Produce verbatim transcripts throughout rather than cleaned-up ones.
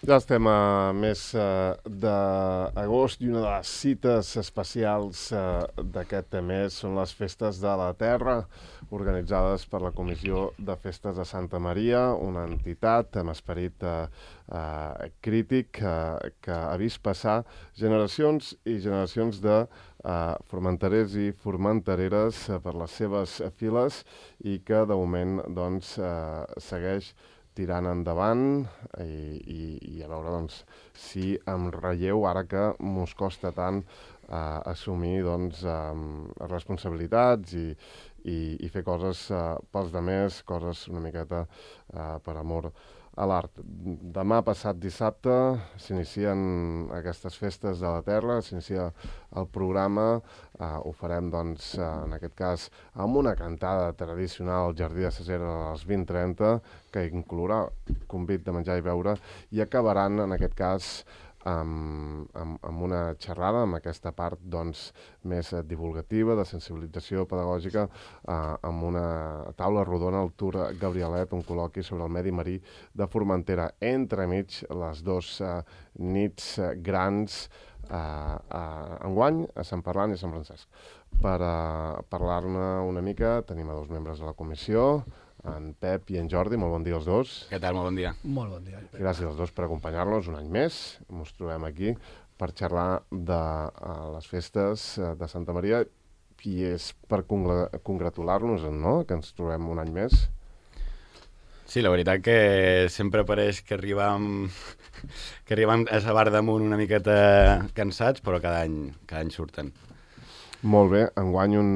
Ja estem a mes uh, d'agost i una de les cites especials uh, d'aquest mes són les Festes de la Terra, organitzades per la Comissió de Festes de Santa Maria, una entitat amb esperit uh, uh, crític uh, que ha vist passar generacions i generacions de uh, formenterers i formentereres uh, per les seves files i que de moment doncs, uh, segueix tirant endavant i, i, i a veure doncs, si em relleu ara que mos costa tant uh, assumir doncs, um, responsabilitats i, i, i fer coses uh, pels demés, coses una miqueta uh, per amor a l'art. Demà passat dissabte s'inicien aquestes festes de la Terra, s'inicia el programa, uh, ho farem doncs, uh, en aquest cas amb una cantada tradicional al Jardí de Ses Heres a les vint trenta, que inclourà convit de menjar i beure, i acabaran en aquest cas amb, amb, amb una xerrada, amb aquesta part doncs, més divulgativa, de sensibilització pedagògica, eh, amb una taula rodona al Tour Gabrielet, un col·loqui sobre el medi marí de Formentera, entremig les dos eh, nits eh, grans eh, eh, enguany a Sant Parlant i a Sant Francesc. Per eh, parlar-ne una mica tenim a dos membres de la comissió, en Pep i en Jordi. Molt bon dia als dos. Què tal? Molt bon dia. Molt bon dia. Gràcies als dos per acompanyar-nos un any més. Ens trobem aquí per xerrar de uh, les festes uh, de Santa Maria i és per congla- congratular-nos, no?, que ens trobem un any més. Sí, la veritat que sempre pareix que arribam, que arribam a la bar damunt una miqueta cansats, però cada any, cada any surten. Molt bé, enguany un,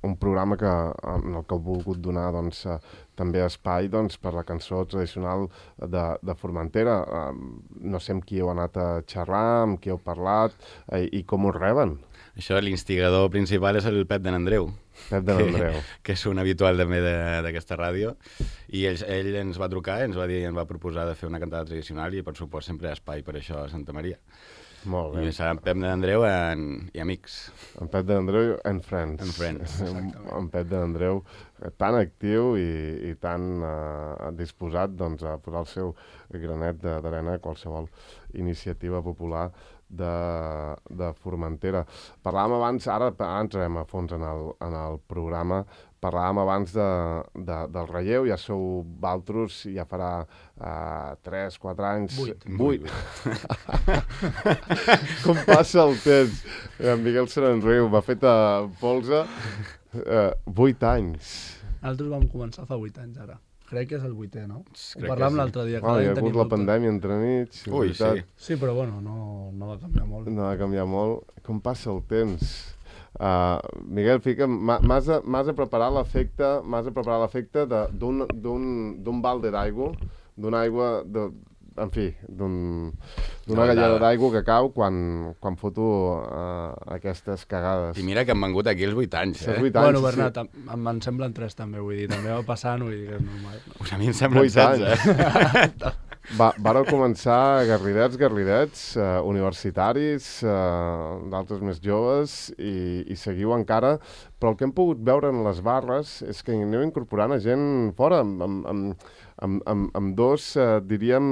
un programa que, en el que heu volgut donar doncs, eh, també espai doncs, per la cançó tradicional de, de Formentera. Eh, no sé amb qui heu anat a xerrar, amb qui heu parlat eh, i com us reben. Això, l'instigador principal és el Pep de n'Andreu. Pep de n'Andreu. Que, que és un habitual també d'aquesta ràdio. I ell, ell ens va trucar, ens va dir, ens va proposar de fer una cantada tradicional i, per supost, sempre hi ha espai per això a Santa Maria. Molt bé. I serà en Pep de n'Andreu en, i amics. En Pep de n'Andreu and Friends. And Friends, en Pep de n'Andreu tan actiu i, i tan uh, disposat doncs, a posar el seu granet d'arena a qualsevol iniciativa popular de, de Formentera. Parlàvem abans, ara, ara entrarem a fons en el, en el programa, parlàvem abans de, de, del relleu, ja sou valtros, ja farà uh, tres, quatre anys... Vuit. Vuit. Com passa el temps. En Miguel se n'enriu, m'ha fet a polze uh, vuit anys. Nosaltres vam començar fa vuit anys, ara. Crec que és el vuitè, no? Crec Ho parlàvem que sí. l'altre dia. Ah, hi ha hagut la pandèmia entremig. Ui, sí. Sí, però bueno, no, no va canviar molt. No va canviar molt. Com passa el temps. Uh, Miguel, fica, m'has de, m'has de preparar l'efecte m'has de preparar l'efecte de- d'un d'un d'un balde d'aigua, d'una aigua, de, en fi, d'un, d'una No, galleda de- d'aigua que cau quan, quan foto uh, aquestes cagades. I mira que han vengut aquí els vuit anys, Són eh? vuit anys, Bueno, sí, Bernat, em, em en semblen tres també, vull dir, també va passant, vull dir que és normal. Pues a mi em semblen Vuit setze, eh? Va, vareu començar garridets, garridets, uh, universitaris, uh, d'altres més joves, i, i seguiu encara, però el que hem pogut veure en les barres és que aneu incorporant a gent fora, amb, amb, amb, amb, amb, amb dos, uh, diríem,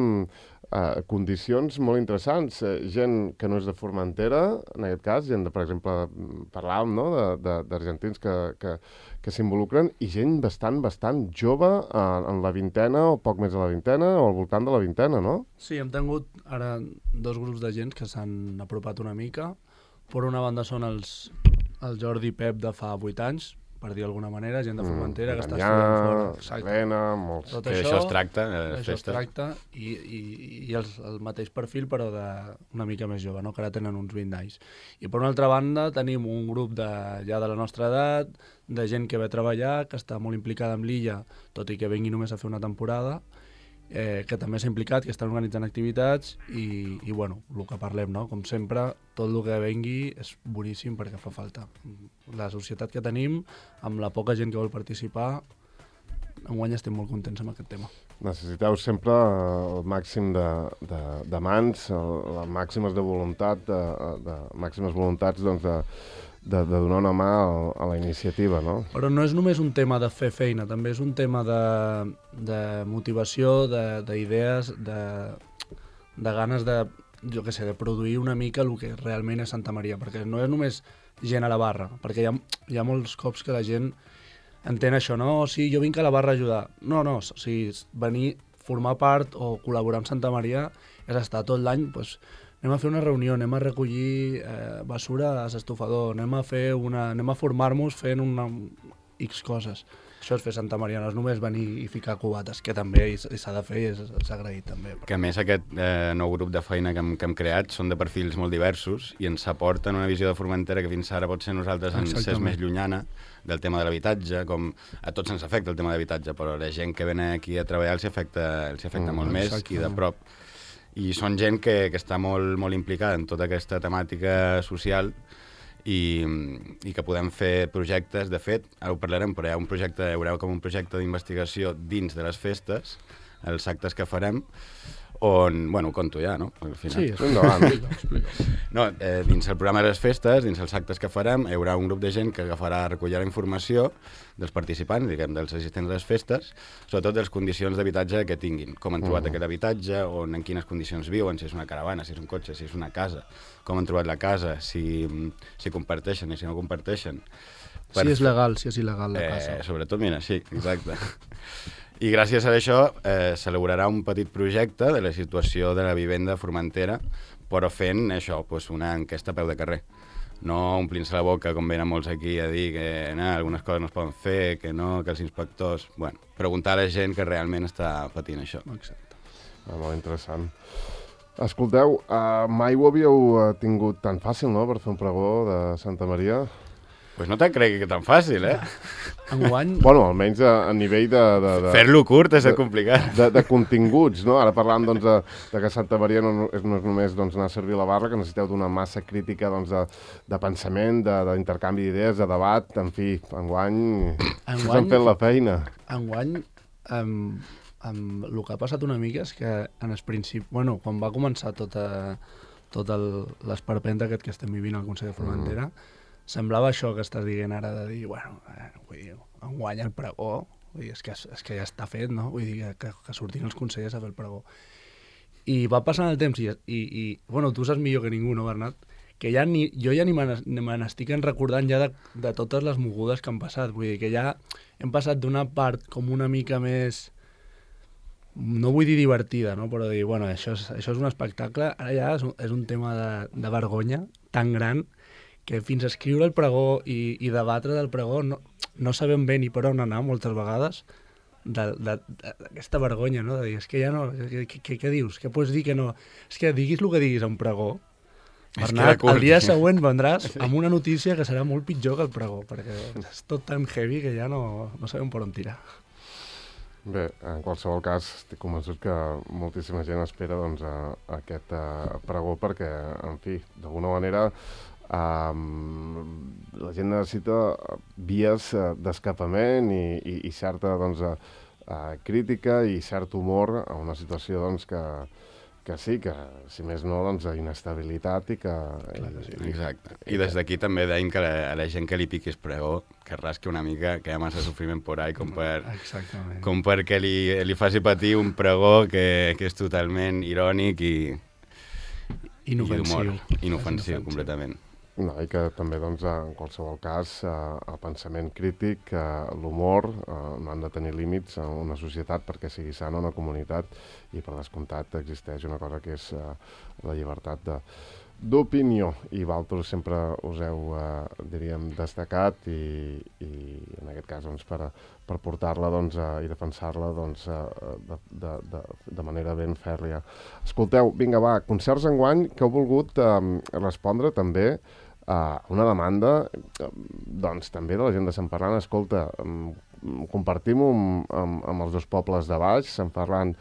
uh, condicions molt interessants. Uh, gent que no és de Formentera, en aquest cas, gent de, per exemple, parlàvem, no?, de- de- d'argentins que, que, que s'involucren, i gent bastant, bastant jove, uh, en la vintena, o poc més de la vintena, o al voltant de la vintena, no? Sí, hem tingut ara dos grups de gent que s'han apropat una mica. Per una banda són els, el Jordi i Pep de fa vuit anys, per dir d'alguna manera, gent de Formentera que està estudiant fora. Exacte. Helena, molts... Tot Que això, això es tracta, eh, les això es festes. tracta, i, i, i els, el mateix perfil, però de una mica més jove, no? Que ara tenen uns vint anys. I per una altra banda tenim un grup de, ja de la nostra edat, de gent que ve a treballar, que està molt implicada amb l'illa, tot i que vengui només a fer una temporada, eh, que també s'ha implicat, que estan organitzant activitats, i, i bueno, el que parlem, no? Com sempre, tot el que vengui és boníssim perquè fa falta. La societat que tenim, amb la poca gent que vol participar, enguany estem molt contents amb aquest tema. Necessiteu sempre el màxim de, de, de mans, el, les màximes de voluntat, de, de màximes voluntats doncs, de, de, de donar una mà a, a la iniciativa, no? Però no és només un tema de fer feina, també és un tema de, de motivació, de- d'idees, de, de ganes de, jo què sé, de produir una mica el que realment és Santa Maria, perquè no és només gent a la barra, perquè hi ha, hi ha molts cops que la gent entén això, no? O sigui, jo vinc a la barra a ajudar. No, no, o sigui, venir, formar part o col·laborar amb Santa Maria és estar tot l'any, doncs, anem a fer una reunió, anem a recollir eh, basura a l'estofador, anem a fer una, anem a formar-nos fent una X coses. Això és fer Santa Maria, no és només venir i ficar cubates, que també s'ha de fer i és, és agraït també. Que a més aquest eh, nou grup de feina que hem, que hem creat són de perfils molt diversos i ens aporten una visió de Formentera que fins ara potser nosaltres ens és més llunyana del tema de l'habitatge, com a tots ens afecta el tema de l'habitatge, però la gent que ven aquí a treballar els afecta, els afecta mm, molt més i de prop. I són gent que, que està molt, molt implicada en tota aquesta temàtica social i, i que podem fer projectes. De fet, ara ho parlarem, però hi ha un projecte, hi haurà com un projecte d'investigació dins de les festes, els actes que farem, on, bueno, ho conto ja, no? Al final. Sí, endavant. No, eh, dins el programa de les festes, dins els actes que farem, hi haurà un grup de gent que agafarà, recollir la informació dels participants, diguem, dels assistents a les festes, sobretot de les condicions d'habitatge que tinguin, com han trobat uh -huh. aquest habitatge, on, en quines condicions viuen, si és una caravana, si és un cotxe, si és una casa, com han trobat la casa, si, si comparteixen i si no comparteixen. Per... Si és legal, si és il·legal la eh, casa. Sobretot, mira, sí, exacte. I gràcies a això eh, s'elaborarà un petit projecte de la situació de la vivenda a Formentera, però fent això, doncs una enquesta a peu de carrer. No omplint-se la boca, com venen molts aquí, a dir que no, algunes coses no es poden fer, que no, que els inspectors... Bueno, preguntar a la gent que realment està patint això. Exacte. Ah, molt interessant. Escolteu, uh, mai ho havíeu tingut tan fàcil, no?, per fer un pregó de Santa Maria? Pues no te'n cregui que tan fàcil, eh? Enguany... Bueno, almenys a, a nivell de... de, de Fer-lo curt és de, complicat. De, de continguts, no? Ara parlàvem doncs, de, de que Santa Maria no és, no és només doncs, anar a servir la barra, que necessiteu d'una massa crítica doncs, de, de pensament, d'intercanvi d'idees, de debat, en fi, enguany... enguany us han fet la feina. Enguany, amb, amb el que ha passat una mica és que en el principi... Bueno, quan va començar tota, tot l'esperpent aquest que estem vivint al Consell de Formentera, mm. semblava això que estàs dient ara, de dir, bueno, eh, vull dir, enguany el pregó, vull dir, és, que, és que ja està fet, no? Vull dir, que, que sortin els consellers a fer el pregó. I va passant el temps i, i, i bueno, tu saps millor que ningú, no, Bernat? Que ja ni, jo ja ni me n'estic recordant ja de, de totes les mogudes que han passat. Vull dir, que ja hem passat d'una part com una mica més, no vull dir divertida, no? Però dir, bueno, això és, això és un espectacle, ara ja és un, és un tema de, de vergonya tan gran que fins a escriure el pregó i, i debatre del pregó no, no sabem bé ni per on anar moltes vegades d'aquesta vergonya, no? De dir, és que ja no... Què, què, què dius? Què pots dir que no? És que diguis el que diguis a un pregó, Bernat, el dia següent vendràs amb una notícia que serà molt pitjor que el pregó, perquè és tot tan heavy que ja no, no sabem per on tirar. Bé, en qualsevol cas, estic convençut que moltíssima gent espera doncs, a, a aquest a, pregó perquè, en fi, d'alguna manera um, la gent necessita vies uh, d'escapament i, i, i certa doncs, uh, uh, crítica i cert humor a una situació doncs, que, que sí, que si més no, doncs, inestabilitat i que... Clar que sí. Exacte. I des d'aquí també deim que la, a la gent que li piquis pregó, que rasqui una mica, que hi ha massa sofriment por ahí com, per, com perquè li, li faci patir un pregó que, que és totalment irònic i... Inofensiu. I inofensiu, completament. No, i que també, doncs, en qualsevol cas, eh, el pensament crític, eh, l'humor, eh, no han de tenir límits en una societat perquè sigui sana una comunitat i, per descomptat, existeix una cosa que és eh, la llibertat de d'opinió, i vosaltres sempre us heu, eh, diríem, destacat i, i en aquest cas, doncs, per, per portar-la doncs, eh, i defensar-la doncs, eh, de, de, de, de manera ben fèrria. Escolteu, vinga, va, concerts enguany que heu volgut eh, respondre també a una demanda eh, doncs, també de la gent de Sant Ferran. Escolta, eh, compartim-ho amb, amb, amb els dos pobles de baix, Sant Ferran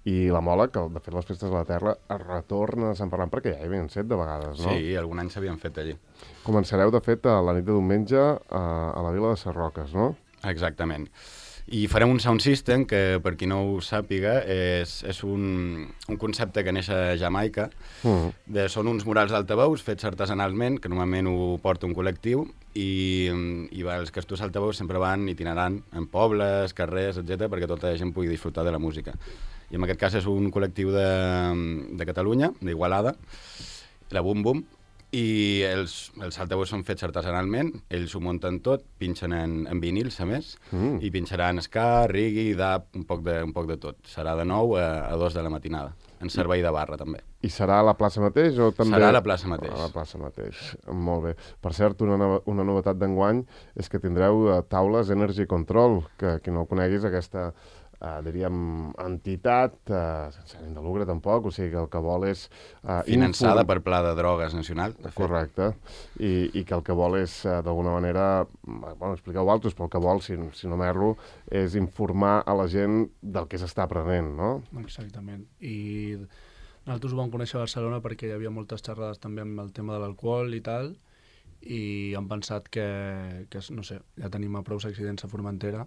i la Mola, que de fet les festes de la Terra es retorna a Sant Ferran perquè ja hi havien set de vegades, no? Sí, algun any s'havien fet allí. Començareu, de fet, a la nit de diumenge a, a la vila de Sarroques, no? Exactament. I farem un sound system que, per qui no ho sàpiga, és, és un, un concepte que neix a Jamaica. Uh-huh. De, són uns murals d'altaveus fets artesanalment, que normalment ho porta un col·lectiu, i, i va, els castos altaveus sempre van itinerant en pobles, carrers, etcètera, perquè tota la gent pugui disfrutar de la música. i en aquest cas és un col·lectiu de, de Catalunya, d'Igualada, la Bum Bum, i els, els altaveus són fets artesanalment, ells ho munten tot, pinxen en, en vinils, a més, mm. i pinxaran ska, reggae, dub, un poc de, un poc de tot. Serà de nou a, a dos de la matinada, en servei de barra, també. I serà a la plaça mateix o també... Serà a la plaça mateix. A la plaça mateix, molt bé. Per cert, una, nova, una novetat d'enguany és que tindreu uh, taules Energy Control, que qui no coneguis aquesta, uh, diríem, entitat, uh, sense ànim de lucre tampoc, o sigui que el que vol és... Uh, Finançada infor... per Pla de Drogues Nacional, de fet. Correcte, I, i que el que vol és, uh, d'alguna manera, bueno, expliqueu altres, però el que vol, si, si no m'erro, és informar a la gent del que s'està aprenent, no? Exactament, i... Nosaltres ho vam conèixer a Barcelona perquè hi havia moltes xerrades també amb el tema de l'alcohol i tal, i hem pensat que, que, no sé, ja tenim a prou accidents a Formentera,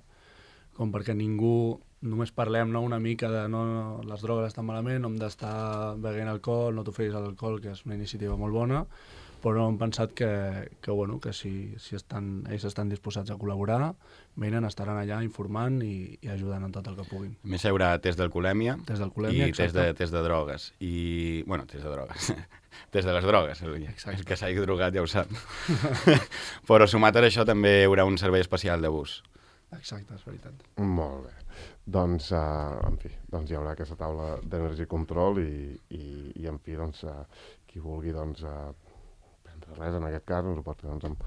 com perquè ningú, només parlem, no, una mica de no, no, les drogues estan malament, no hem d'estar beguent alcohol, no t'oferis a l'alcohol, que és una iniciativa molt bona, però hem pensat que, que, bueno, que si, si estan, ells estan disposats a col·laborar, venen, estaran allà informant i, i ajudant en tot el que puguin. A més, hi haurà test d'alcoholèmia i test de, test de drogues. I, bueno, test de drogues. Test de les drogues. El, el que s'hagi drogat ja ho sap. Però sumat a això també hi haurà un servei especial de bus. Exacte, és veritat. Molt bé. Doncs, uh, en fi, doncs hi haurà aquesta taula d'Energy Control i, i, i en fi, doncs, uh, qui vulgui, doncs, uh, res, en aquest cas, ens ho pot fer doncs, amb,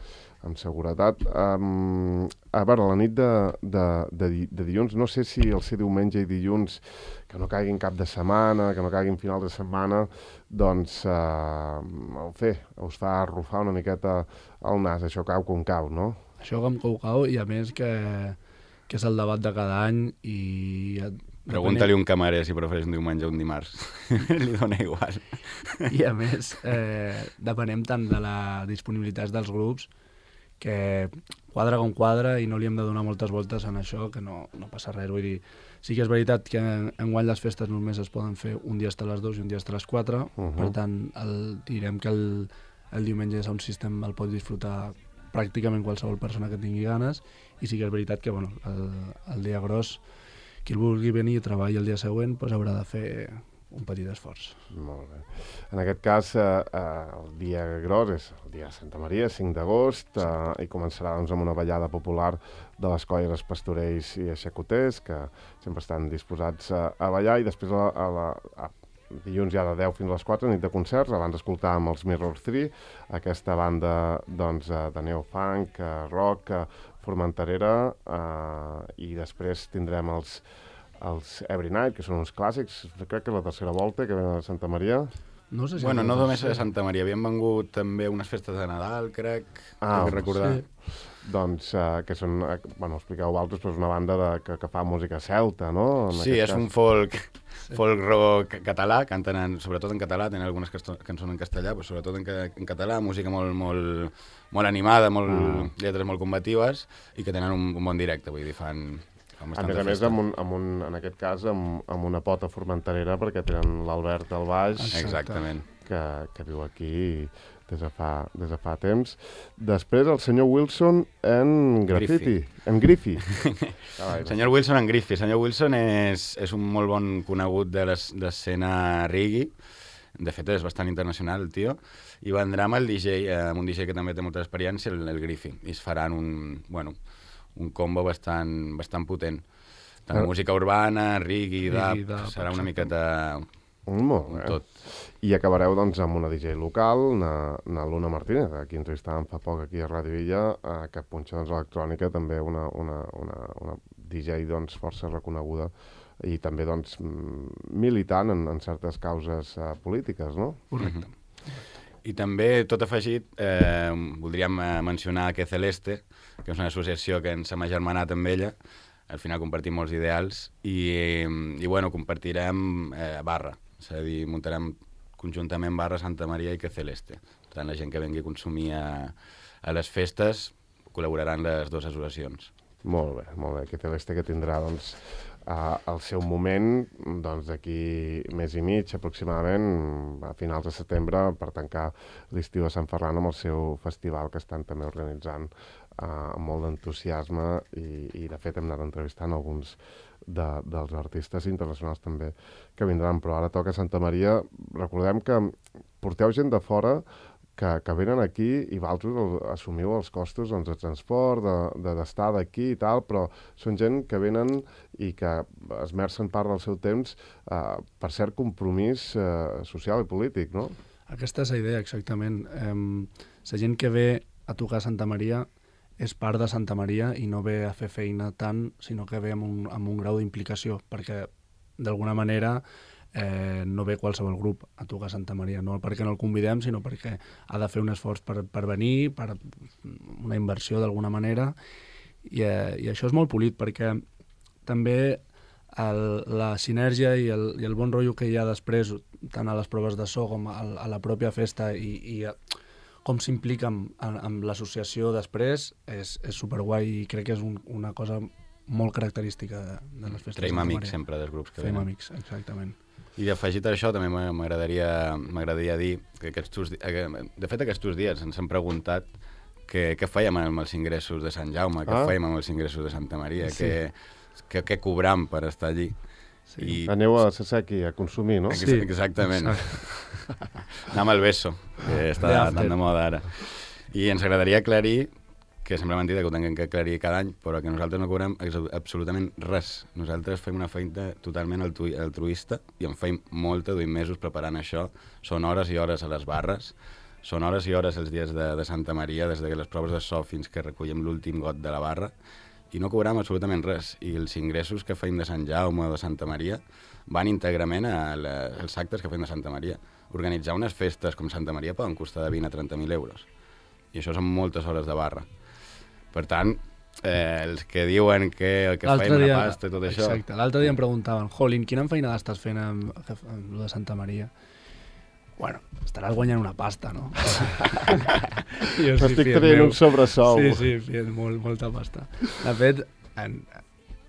amb seguretat. Um, a veure, la nit de, de, de, de dilluns, no sé si el ser diumenge i dilluns, que no caiguin cap de setmana, que no caiguin final de setmana, doncs, uh, el fer, us fa arrufar una miqueta el nas, això cau com cau, no? Això com cau cau, i a més que, que és el debat de cada any i... Pregunta-li un camarer si prefereix un diumenge o un dimarts. Li dona igual. I a més, eh, depenem tant de la disponibilitat dels grups que quadra com quadra i no li hem de donar moltes voltes en això, que no, no passa res. Vull dir, sí que és veritat que enguany les festes només es poden fer un dia hasta les dues i un dia hasta les quatre, uh-huh. Per tant, el, direm que el, el diumenge és un sistema, el pot disfrutar pràcticament qualsevol persona que tingui ganes, i sí que és veritat que bueno, el, el dia gros, qui el vulgui venir i treballi el dia següent, doncs haurà de fer un petit esforç. Molt bé. En aquest cas, eh, eh, el dia gros és el dia de Santa Maria, cinc d'agost, eh, i començarà doncs, amb una ballada popular de les colles Pastorells i Aixecoters, que sempre estan disposats a, a ballar, i després a, a la, a, dilluns ja de deu fins a les quatre, nit de concerts, abans d'escoltar amb els Mirror tres, aquesta banda doncs, de neofunk, rock, formenterera, eh, i després tindrem els, els Every Night, que són uns clàssics, crec que és la tercera volta que venen a Santa Maria. No sé si bueno, no només a Santa Maria, havien vengut també unes festes de Nadal, crec, ah, crec recordar. Sí. Doncs, uh, que són, uh, bueno, expliqueu altres, però és una banda de, que, que fa música celta, no? En sí, és cas. un folk, sí. folk rock català, canten en, sobretot en català, tenen algunes cançons en castellà, però sobretot en, en català, música molt, molt, molt animada, molt, mm. lletres molt combatives, i que tenen un, un bon directe, vull dir, fan... A més a més, amb un, amb un, en aquest cas, amb, amb una pota formenterera, perquè tenen l'Albert al baix. Exactament. Que, que viu aquí des de, fa, des de fa temps. Després, el senyor Wilson en graffiti. Griffy. En Griffy. Senyor Wilson en Griffy. Senyor Wilson és, és un molt bon conegut de l'escena reggae. De fet, és bastant internacional, el tio. I vendrà amb el D J, amb un D J que també té molta experiència, el, el Griffy. I es faran un... bueno, un combo bastant, bastant potent. Tant ah. música urbana, reggae, dub, serà una miqueta molt bé. Tot. I acabareu doncs amb una D J local, na, na Luna Martínez, a qui entrevistàvem fa poc aquí a Ràdio Illa, eh, que punxa doncs, electrònica, també una, una, una, una D J doncs, força reconeguda i també doncs, militant en, en certes causes eh, polítiques, no? Correcte. Mm-hmm. I també, tot afegit, eh, voldríem eh, mencionar que Celeste, que és una associació que ens hem agermanat amb ella, al final compartim molts ideals, i, i bueno, compartirem eh, barra, és a dir, muntarem conjuntament barra Santa Maria i que Celeste. Per tant, la gent que vengui a consumir a, a les festes col·laboraran les dues associacions. Molt bé, molt bé. Que Celeste que tindrà, doncs, Uh, el seu moment, doncs d'aquí mes i mig aproximadament, a finals de setembre, per tancar l'estiu a Sant Ferran amb el seu festival que estan també organitzant amb molt d'entusiasme i, i de fet hem anat entrevistant alguns de, dels artistes internacionals també que vindran, però ara toca Santa Maria. Recordem que porteu gent de fora que, que venen aquí i vosaltres assumiu els costos doncs, de transport, d'estar de, d'aquí i tal, però són gent que venen i que esmercen part del seu temps eh, per cert compromís eh, social i polític, no? Aquesta és la idea, exactament. Eh, la gent que ve a tocar a Santa Maria és part de Santa Maria i no ve a fer feina tant, sinó que ve amb un, amb un grau d'implicació, perquè d'alguna manera eh, no ve qualsevol grup a tocar a Santa Maria, no perquè no el convidem, sinó perquè ha de fer un esforç per, per venir, per una inversió d'alguna manera, i, eh, i això és molt polit, perquè també el, la sinergia i el, i el bon rotllo que hi ha després, tant a les proves de so com a, a la pròpia festa, i, i com s'implica amb, amb l'associació després, és, és superguai i crec que és un, una cosa molt característica de, de les festes. Traiem amics sempre dels grups que Fem venen. amics, exactament. I afegit a això també m'agradaria m'agradaria dir que aquests, de fet aquests dies ens han preguntat que, què fèiem amb els ingressos de Sant Jaume, què ah. fèiem amb els ingressos de Santa Maria, sí. que, que, que cobram per estar allí. Sí. I... Aneu a Saseki a consumir, no? Sí, exactament. Anem al beso, que està ja, tan de moda ara. I ens agradaria aclarir, que sembla mentida que ho tinguem que aclarir cada any, però que nosaltres no cobrem absolutament res. Nosaltres fem una feina totalment altruista i en feim molta, duim mesos preparant això. Són hores i hores a les barres, són hores i hores els dies de, de Santa Maria, des de les proves de so fins que recollem l'últim got de la barra, i no cobrem absolutament res. I els ingressos que feim de Sant Jaume o de Santa Maria van íntegrament als actes que fem de Santa Maria. Organitzar unes festes com Santa Maria poden costar de vint a trenta mil euros. I això són moltes hores de barra. Per tant, eh, els que diuen que el que feim una pasta i tot això... Exacte. L'altre dia em preguntaven, Jolín, quina feinada estàs fent amb, amb lo de Santa Maria? Bueno, estaràs guanyant una pasta, no? Jo estic tenint un sobresou. Sí, sí, fent molt, molta pasta. De fet, en,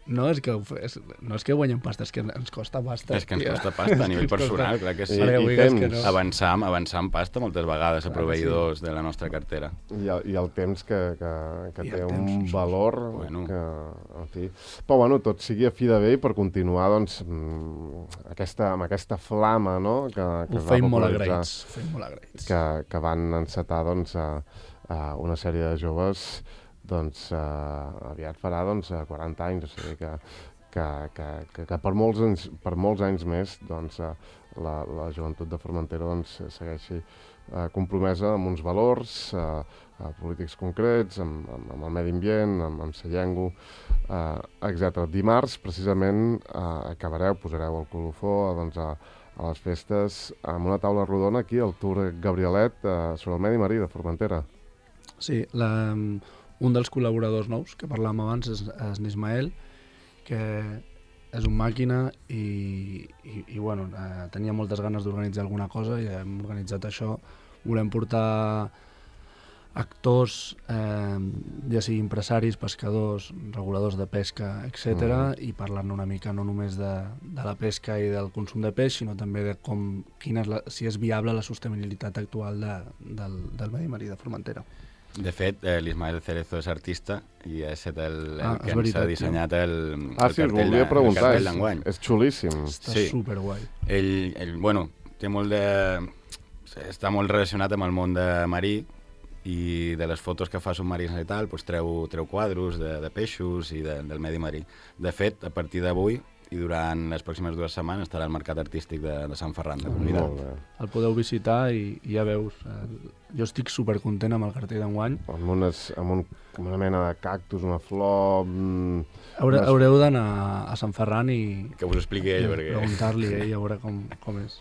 no, és que, és, no és que guanyem pasta, és que ens costa pasta. És que ens tia. costa pasta a nivell personal, clar que sí. I, i temps. Que no. Avançar, avançar en pasta moltes vegades a proveïdors sí. de la nostra cartera. I el, i el temps que, que, que té un temps, valor bueno. que, en fi... Però bueno, tot sigui a fi de bé i per continuar doncs, aquesta, amb aquesta flama, no? Que, que ho feim molt agraïts. Feim molt agraïts. Que, que van encetar doncs, a, a una sèrie de joves doncs uh, aviat farà doncs, quaranta anys, o sigui que, que, que, que, que per, molts anys, per molts anys més doncs, uh, la, la joventut de Formentera doncs, segueixi uh, compromesa amb uns valors uh, uh, polítics concrets, amb, amb, amb el medi ambient, amb, amb la llengua, uh, etcètera. Dimarts, precisament, uh, acabareu, posareu el colofó doncs, a, a les festes amb una taula rodona aquí al Tour Gabrielet uh, sobre el medi marí de Formentera. Sí, la... Un dels col·laboradors nous que parlàvem abans és, és l'Ismael, que és un màquina i, i, i bueno, eh, tenia moltes ganes d'organitzar alguna cosa i hem organitzat això. Volem portar actors, eh, ja sigui empresaris, pescadors, reguladors de pesca, etcètera, mm. i parlar-ne una mica no només de, de la pesca i del consum de peix, sinó també de com, quina és la, si és viable la sostenibilitat actual de, del, del medi marí de Formentera. De fet, eh, l'Ismael Cerezo és artista i ha estat el, el ah, que ens ha dissenyat el, ah, el sí, cartell, volia preguntar, el cartell d'enguany. És xulíssim. Està sí. superguai. Ell, ell, bueno, té molt de... està molt relacionat amb el món de marí i de les fotos que fa submarins i tal, doncs treu, treu quadros de, de peixos i de, del medi marí. De fet, a partir d'avui i durant les pròximes dues setmanes estarà al Mercat Artístic de, de Sant Ferran de Convidat. El podeu visitar i, i ja veus. Eh, jo estic supercontent amb el cartell d'enguany. Amb, unes, amb, un, amb una mena de cactus, una flor... Mm, Haure, unes... Haureu d'anar a Sant Ferran i... Que us ho expliqui ell, perquè... Preguntar-li a ell a veure com, com és.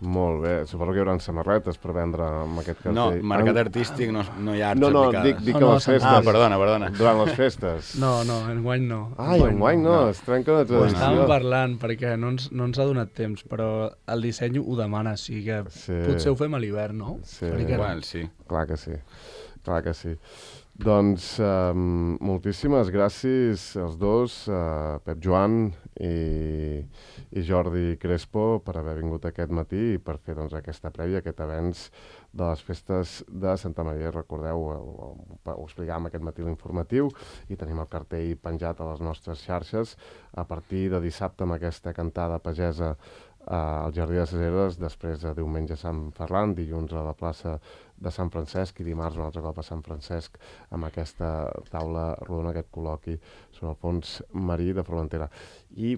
Molt bé. Suposo que hi haurà samarretes per vendre amb aquest cartell. No, Mercat Artístic no, no hi ha arts no, no, aplicades. Dic, dic no, no, a les festes. Ah, perdona, perdona. Durant les festes. No, no, enguany no. Ah, enguany no, no. Es trenca la tradició. Ho estàvem parlant perquè no ens, no ens ha donat temps, però el disseny ho demana, sí que sí. Potser ho fem a l'hivern, no? Sí. Igual, sí. Clar que sí. Clar que sí. Doncs um, moltíssimes gràcies als dos, uh, Pep Joan i, i Jordi Crespo, per haver vingut aquest matí i per fer doncs, aquesta prèvia, aquest avenç de les festes de Santa Maria. Recordeu, ho, ho, ho explicàvem aquest matí l'informatiu i tenim el cartell penjat a les nostres xarxes a partir de dissabte amb aquesta cantada pagesa al Jardí de ses Heres, després de diumenge a Sant Ferran, dilluns a la plaça de Sant Francesc i dimarts un altre cop a Sant Francesc amb aquesta taula rodona, aquest col·loqui sobre el fons marí de Formentera. I,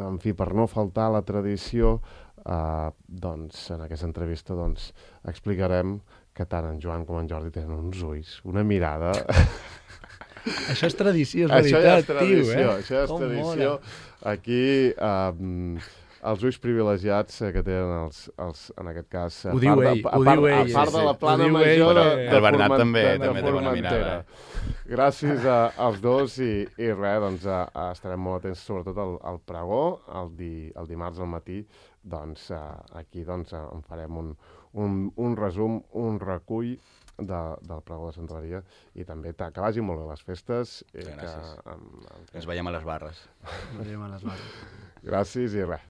en fi, per no faltar la tradició, eh, doncs, en aquesta entrevista doncs, explicarem que tant en Joan com en Jordi tenen uns ulls, una mirada... Això és tradició, és veritat, això ja és tradició, tio, eh? Això és Com tradició. mola. Aquí... Eh, els ulls privilegiats que tenen els, els, en aquest cas, a ho diu part, ell, de, a ho part, diu ell, a part sí, de la sí. plana Ho diu major ell, de, però- de El Bernat Forment- també, de també té bona Formentera. mirada. Gràcies a, als dos i, i res, doncs a, a estarem molt atents sobretot al, al pregó, el, di, el dimarts al matí, doncs a, aquí doncs, a, en farem un, un, un resum, un recull de, del pregó de Sant Maria i també ta, que vagin molt bé les festes. I que, Gràcies. amb, amb, Ens veiem a les barres. Veiem a les barres. gràcies i res.